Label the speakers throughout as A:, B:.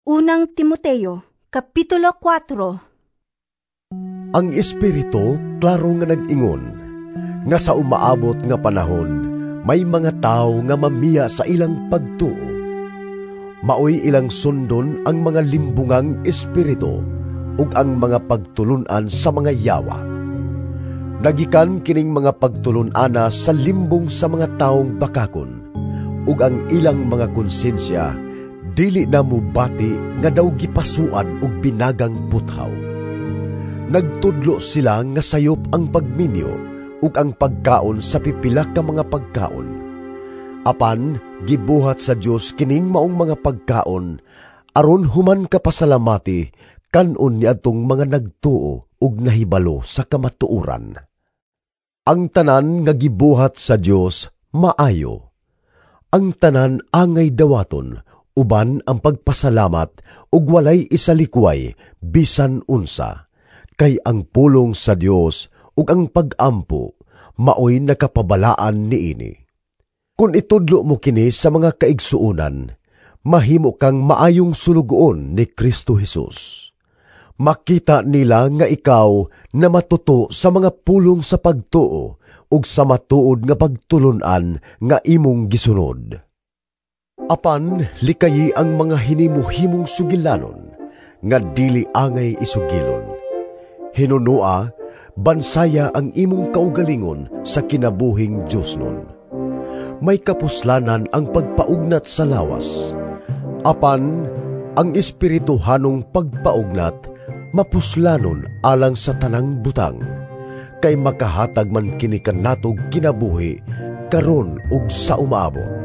A: Unang Timoteo, Kapitulo 4.
B: Ang Espiritu klaro nga nag-ingon nga sa umaabot nga panahon may mga tawo nga mamiya sa ilang pagtuo. Maoy ilang sundon ang mga limbungang espiritu ug ang mga pagtulun-an sa mga yawa. Nagikan kining mga pagtulun-ana sa limbong sa mga taong bakakon ug ang ilang mga konsensya dili na mubati nga daw gipasuan og binagang puthaw. Nagtudlo sila nga sayop ang pagminyo ug ang pagkaon sa pipila ka mga pagkaon. Apan gibuhat sa Dios kining maong mga pagkaon aron human kapasalamati kan-on niadtong mga nagtuo ug nahibalo sa kamatuoran. Ang tanan nga gibuhat sa Dios maayo. Ang tanan angay dawaton uban ang pagpasalamat ug walay isalikway bisan unsa, kay ang pulong sa Dios ug ang pag-ampo maoy nakapabalaan niini. Kun itudlo mo kini sa mga kaigsuonan, mahimo kang maayong sulugoon ni Kristo Jesus. Makita nila nga ikaw na matuto sa mga pulong sa pagtuo ug sa matuod nga pagtulun-an nga imong gisunod. Apan likayi ang mga hinimuhimong sugilanon nga dili angay isugilon. Hinunua, bansaya ang imong kaugalingon sa kinabuhing Diosnon. May kapuslanan ang pagpaugnat sa lawas. Apan ang espirituhanong pagpaugnat mapuslanon alang sa tanang butang, kay makahatag man kini kanatog kinabuhi karon ug sa umaabot.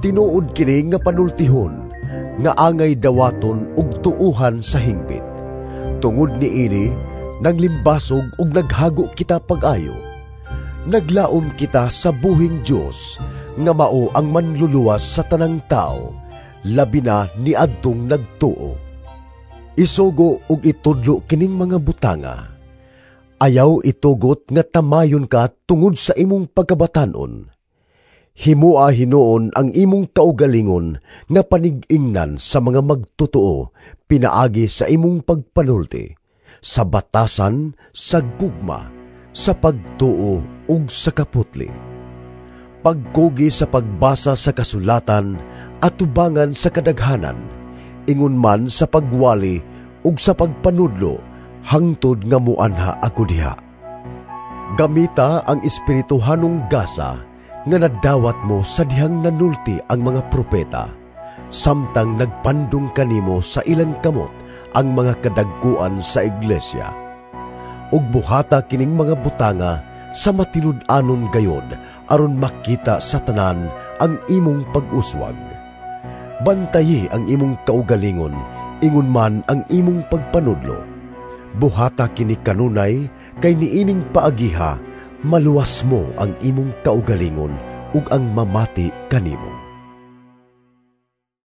B: Tinuod kini nga panultihon nga angay dawaton ug tuuhan sa hingpit. Tungod niini, naglimbasog ug naghago kita pag-ayo. Naglaom kita sa buhing Dios nga mao ang manluluwas sa tanang tao, labi na niadtong nagtuo. Isugo ug itudlo kining mga butanga. Ayaw itugot nga tamayon ka tungod sa imong pagkabatan-on. Himua hinuon ang imong kaugalingon nga panig-ingnan sa mga magtotoo pinaagi sa imong pagpanulti, sa batasan, sa gugma, sa pagtuo ug sa kaputli. Pagkugi sa pagbasa sa kasulatan, atubangan sa kadaghanan, ingon man sa pagwali ug sa pagpanudlo, hangtod nga muanha ako diha. Gamita ang espirituhanong gasa nga nadawat mo sa dihang nanulti ang mga propeta, samtang nagpandong kanimo sa ilang kamot ang mga kadagkuan sa iglesia. Ug buhata kining mga butanga sa matinud-anon gayod aron makita sa tanan ang imong pag-uswag. Bantayi ang imong kaugalingon, ingon man ang imong pagpanudlo. Buhata kini kanunay kay niining paagiha maluwas mo ang imong kaugalingon ug ang mamati kanimo.